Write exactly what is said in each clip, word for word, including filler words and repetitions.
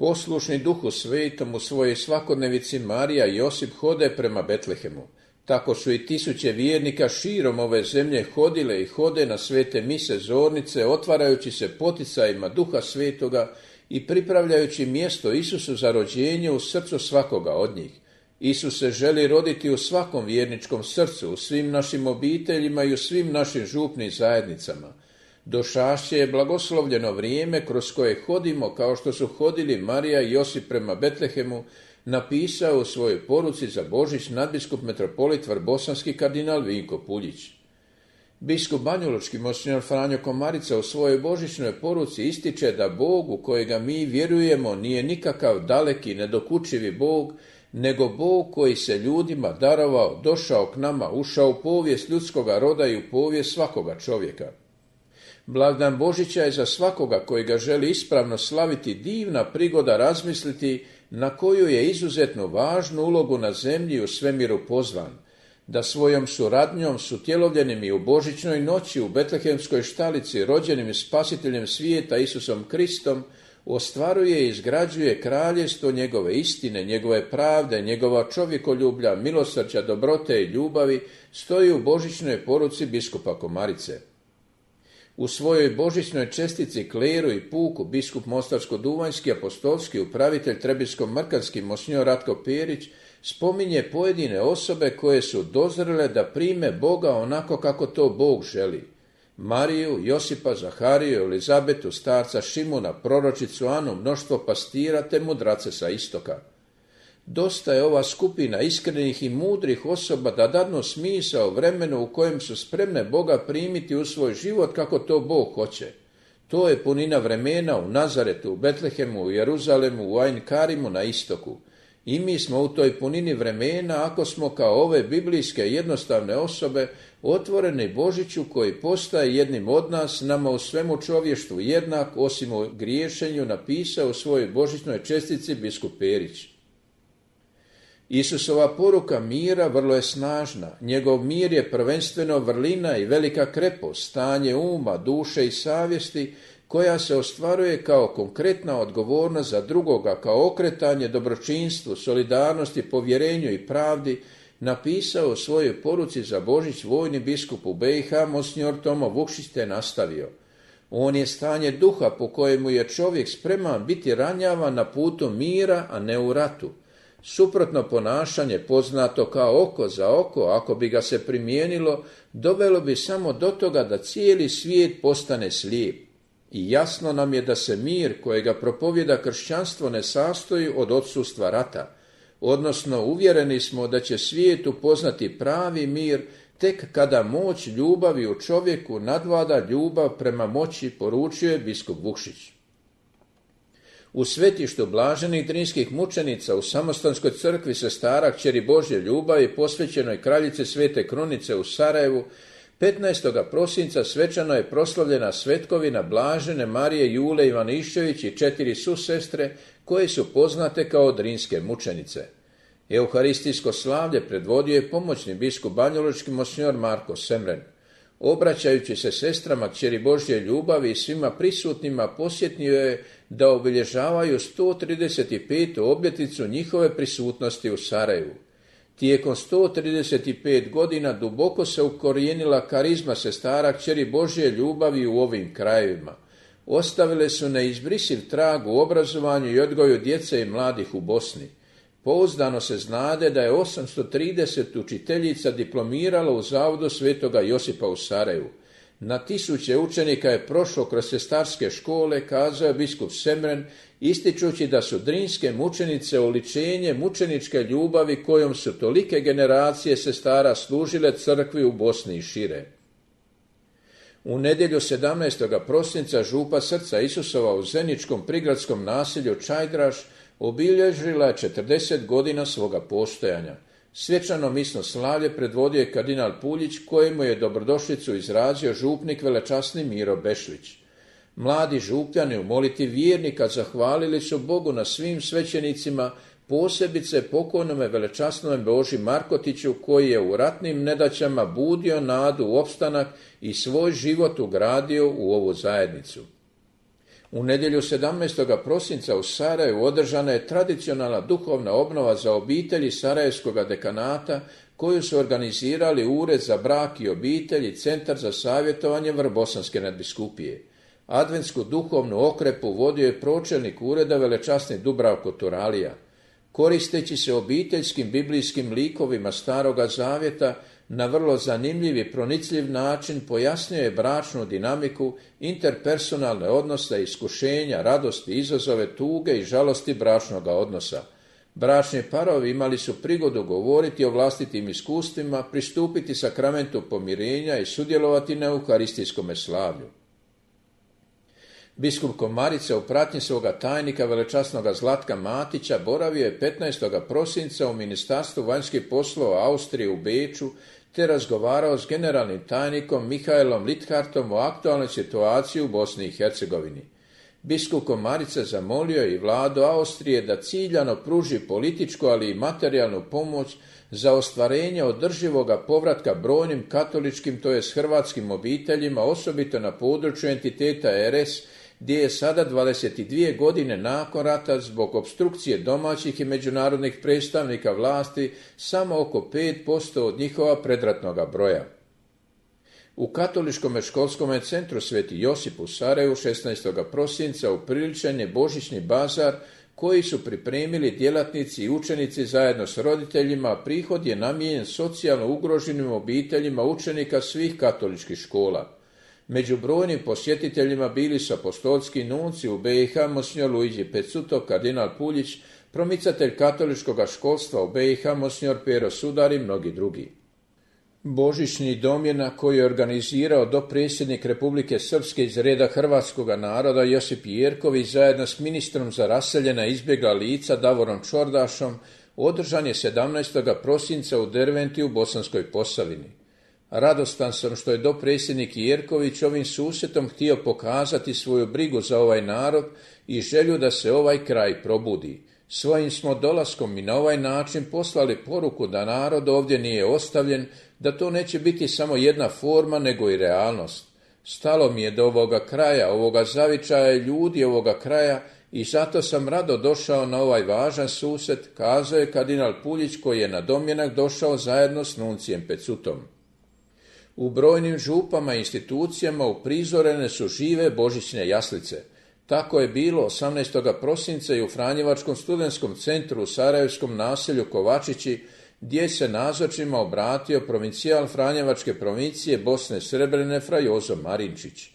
Poslušni Duhu Svetom u svojoj svakodnevici Marija i Josip hode prema Betlehemu. Tako su i tisuće vjernika širom ove zemlje hodile i hode na svete mise zornice, otvarajući se poticajima Duha Svetoga i pripravljajući mjesto Isusu za rođenje u srcu svakoga od njih. Isus se želi roditi u svakom vjerničkom srcu, u svim našim obiteljima i u svim našim župnim zajednicama. Došašće je blagoslovljeno vrijeme kroz koje hodimo kao što su hodili Marija i Josip prema Betlehemu, napisao u svojoj poruci za Božić nadbiskup metropolit vrbosanski kardinal Vinko Puljić. Biskup banjalučki monsignor Franjo Komarica u svojoj božićnoj poruci ističe da Bog u kojega mi vjerujemo nije nikakav daleki, nedokučivi Bog, nego Bog koji se ljudima darovao, došao k nama, ušao u povijest ljudskoga roda i u povijest svakoga čovjeka. Blagdan Božića je za svakoga koji ga želi ispravno slaviti divna prigoda razmisliti na koju je izuzetno važnu ulogu na zemlji i u svemiru pozvan, da svojom suradnjom s utjelovljenim i u božićnoj noći u betlehemskoj štalici rođenim spasiteljem svijeta Isusom Kristom ostvaruje i izgrađuje kraljevstvo njegove istine, njegove pravde, njegova čovjekoljublja, milosrđa, dobrote i ljubavi, stoji u božićnoj poruci biskupa Komarice. U svojoj božićnoj čestici kleru i puku biskup mostarsko-duvanjski apostolski upravitelj trebinsko-mrkanski monsignor Ratko Perić spominje pojedine osobe koje su dozrele da prime Boga onako kako to Bog želi. Mariju, Josipa, Zahariju, Elizabetu, starca Šimuna, proročicu Anu, mnoštvo pastira te mudrace sa istoka. Dosta je ova skupina iskrenih i mudrih osoba da dadnu smisao vremenu u kojem su spremne Boga primiti u svoj život kako to Bog hoće. To je punina vremena u Nazaretu, u Betlehemu, u Jeruzalemu, u Ain Karimu na istoku. I mi smo u toj punini vremena ako smo kao ove biblijske jednostavne osobe otvoreni Božiću koji postaje jednim od nas, nama u svemu čovještvu jednak, osim u griješenju, napisao u svojoj božićnoj čestici biskup Perić. Isusova poruka mira vrlo je snažna. Njegov mir je prvenstveno vrlina i velika krepost, stanje uma, duše i savjesti koja se ostvaruje kao konkretna odgovornost za drugoga, kao okretanje dobročinstvu, solidarnosti, povjerenju i pravdi, napisao u svojoj poruci za Božić vojni biskup u be i ha monsignor Tomo Vukšić te nastavio. On je stanje duha po kojemu je čovjek spreman biti ranjavan na putu mira, a ne u ratu. Suprotno ponašanje, poznato kao oko za oko, ako bi ga se primijenilo, dovelo bi samo do toga da cijeli svijet postane slijep. I jasno nam je da se mir kojega propovjeda kršćanstvo ne sastoji od odsustva rata, odnosno uvjereni smo da će svijet upoznati pravi mir tek kada moć ljubavi u čovjeku nadvlada ljubav prema moći, poručuje biskup Vukšić. U svetištu blaženih drinskih mučenica u Samostanskoj crkvi sestara kćeri Božje ljubavi posvećenoj kraljici Svete Krunice u Sarajevu petnaestog prosinca svečano je proslavljena svetkovina blažene Marije Jule Ivanišćević i četiri susestre koje su poznate kao drinske mučenice. Euharistijsko slavlje predvodio je pomoćni biskup banjalučki monsignor Marko Semren. Obraćajući se sestrama kćeri Božje ljubavi i svima prisutnima posjetio je da obilježavaju sto trideset petu obljetnicu njihove prisutnosti u Sarajevu. Tijekom sto trideset pet godina duboko se ukorijenila karizma sestara kćeri Božje ljubavi u ovim krajevima. Ostavile su neizbrisiv trag u obrazovanju i odgoju djece i mladih u Bosni. Pouzdano se znade da je osamsto trideset učiteljica diplomiralo u Zavodu Svetoga Josipa u Sarajevu. Na tisuće učenika je prošlo kroz sestarske škole, kazao je biskup Semren, ističući da su drinske mučenice oličenje mučeničke ljubavi kojom su tolike generacije sestara služile crkvi u Bosni i šire. U nedjelju sedamnaestog prosinca župa Srca Isusova u zeničkom prigradskom naselju Čajdraš obilježila je četrdeset godina svoga postojanja. Svečano misno slavlje predvodio je kardinal Puljić, kojemu je dobrodošlicu izrazio župnik velečasni Miro Bešlić. Mladi župljani u moliti vjernika zahvalili su Bogu na svim svećenicima, posebice pokojnome velečasnome Boži Markotiću, koji je u ratnim nedaćama budio nadu u opstanak i svoj život ugradio u ovu zajednicu. U nedjelju sedamnaestog prosinca u Sarajevu održana je tradicionalna duhovna obnova za obitelji Sarajevskog dekanata koju su organizirali Ured za brak i obitelj i Centar za savjetovanje Vrbosanske nadbiskupije. Adventsku duhovnu okrepu vodio je pročelnik ureda velečasni Dubravko Turalija. Koristeći se obiteljskim biblijskim likovima Staroga zavjeta, na vrlo zanimljiv i pronicljiv način pojasnio je bračnu dinamiku, interpersonalne odnose, iskušenja, radosti, izazove, tuge i žalosti bračnoga odnosa. Bračni parovi imali su prigodu govoriti o vlastitim iskustvima, pristupiti sakramentu pomirenja i sudjelovati na euharistijskome slavlju. Biskup Komarica u pratnji svoga tajnika velečasnoga Zlatka Matića boravio je petnaestog prosinca u Ministarstvu vanjskih poslova Austrije u Beču te razgovarao s generalnim tajnikom Mihaelom Lithartom o aktualnoj situaciji u Bosni i Hercegovini. Biskup Komarica zamolio i vladu Austrije da ciljano pruži političku, ali i materijalnu pomoć za ostvarenje održivoga povratka brojnim katoličkim, to jest hrvatskim obiteljima, osobito na području entiteta R S, gdje je sada dvadeset dvije godine nakon rata zbog opstrukcije domaćih i međunarodnih predstavnika vlasti samo oko pet posto od njihova predratnoga broja. U Katoličkom školskom centru Sveti Josip u Sarajevu šesnaestog prosinca upriličen je božićni bazar koji su pripremili djelatnici i učenici zajedno s roditeljima, a prihod je namijenjen socijalno ugroženim obiteljima učenika svih katoličkih škola. Među brojnim posjetiteljima bili su apostolski nunci u B i H monsignor Luigi Pezzuto, kardinal Puljić, promicatelj katoličkog školstva u B i H monsignor Pero Sudar i mnogi drugi. Božićni domjenak koji je organizirao dopredsjednik Republike Srpske iz reda hrvatskoga naroda Josip Jerković zajedno s ministrom za raseljena i izbjegla lica Davorom Čordašom održan je sedamnaestog prosinca u Derventi u Bosanskoj Posavini. Radostan sam što je dopredsjednik Jerković ovim susretom htio pokazati svoju brigu za ovaj narod i želju da se ovaj kraj probudi. Svojim smo dolaskom i na ovaj način poslali poruku da narod ovdje nije ostavljen, da to neće biti samo jedna forma nego i realnost. Stalo mi je do ovoga kraja, ovoga zavičaja ljudi ovoga kraja i zato sam rado došao na ovaj važan susret, kazao je kardinal Puljić koji je na domjenak došao zajedno s nuncijem Pezzutom. U brojnim župama i institucijama uprizorene su žive božićne jaslice. Tako je bilo osamnaestog prosinca i u Franjevačkom studentskom centru u sarajevskom naselju Kovačići, gdje se nazočima obratio provincijal Franjevačke provincije Bosne Srebrene fra Jozo Marinčić.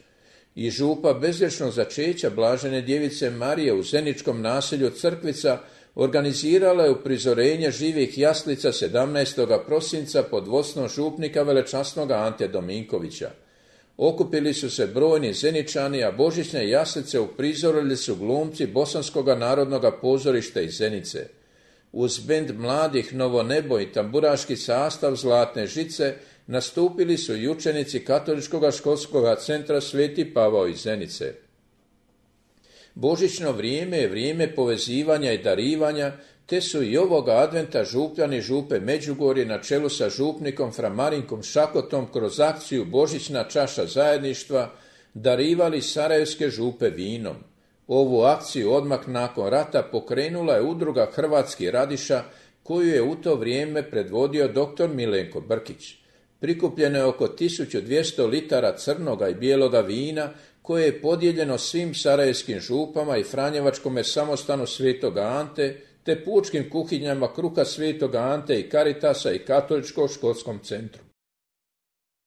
I župa bezgrešnog začeća Blažene djevice Marije u zeničkom naselju Crkvica organizirala je uprizorenje živih jaslica sedamnaestog prosinca pod vodstvom župnika velečasnoga Ante Dominkovića. Okupili su se brojni Zeničani, a božićne jaslice uprizorili su glumci Bosanskoga narodnog pozorišta iz Zenice. Uz bend mladih Novo nebo i tamburaški sastav Zlatne žice nastupili su i učenici Katoličkog školskog centra Sveti Pavao iz Zenice. Božićno vrijeme je vrijeme povezivanja i darivanja, te su i ovoga adventa župljani župe Međugorje na čelu sa župnikom fra Marinkom Šakotom kroz akciju Božićna čaša zajedništva darivali sarajevske župe vinom. Ovu akciju odmah nakon rata pokrenula je udruga Hrvatski radiša koju je u to vrijeme predvodio doktor Milenko Brkić. Prikupljeno je oko tisuću dvjesto litara crnoga i bijeloga vina koje je podijeljeno svim sarajevskim župama i Franjevačkome samostanu Svetoga Ante, te pučkim kuhinjama Kruha Svetoga Ante i Karitasa i Katoličkom školskom centru.